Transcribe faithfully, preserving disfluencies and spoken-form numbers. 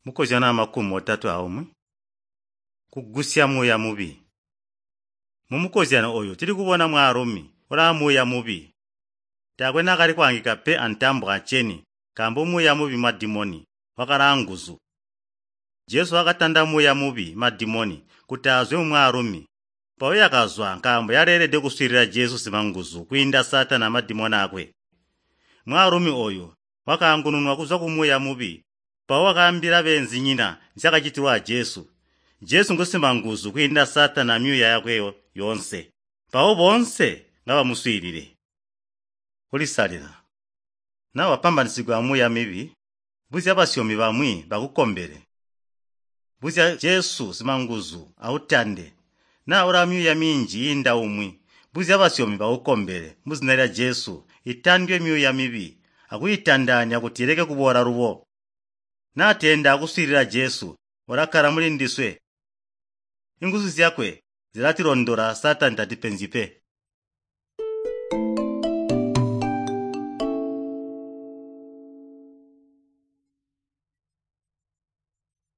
Mukozyano amakumi otatwe aumwi. Kugusya muuya mubi. Mumukozyano oyu tuli kubona mwaalumi ulaa muuya mubi. Taakwe naakali kwaangika pe antambo aceni nkaambo muuya mubi madimoni wakalaa nguzu. Jesu wakatanda muuya mubi madimoni kuti azwe mumwaalumi. Mpawo yakazwa nkaambo yaleelede kuswiilila Jesu simanguzu kwiinda Saatani amadimoni aakwe. Mwaalumi oyu wakaangununwa kuzwa kumuuya mubi mpawo wakaambila beenzinyina nzyaakacitilwa a Jesu. Jesu ngusimanguzu kwiinda Saatani amyuuya yakwe yoonse. Mpawo boonse ngabamuswiilile. Kulisalila. Naa wapambanisigwa amuuya mibi, buzya basyomi bamwi bakukombele. Buzya Jesu simanguzu autande. Naa ulaa myuuya minji yiinda umwi, buzya basyomi bakukombele muzina lya Jesu itandwe myuuya mibi akuyitandaanya kuti ileke kuboola lubo. Naa teenda akuswiilila Jesu, ulakkala muli ndiswe. Inguzu zyakwe zilatilondola Saatani tatipenzyi pe.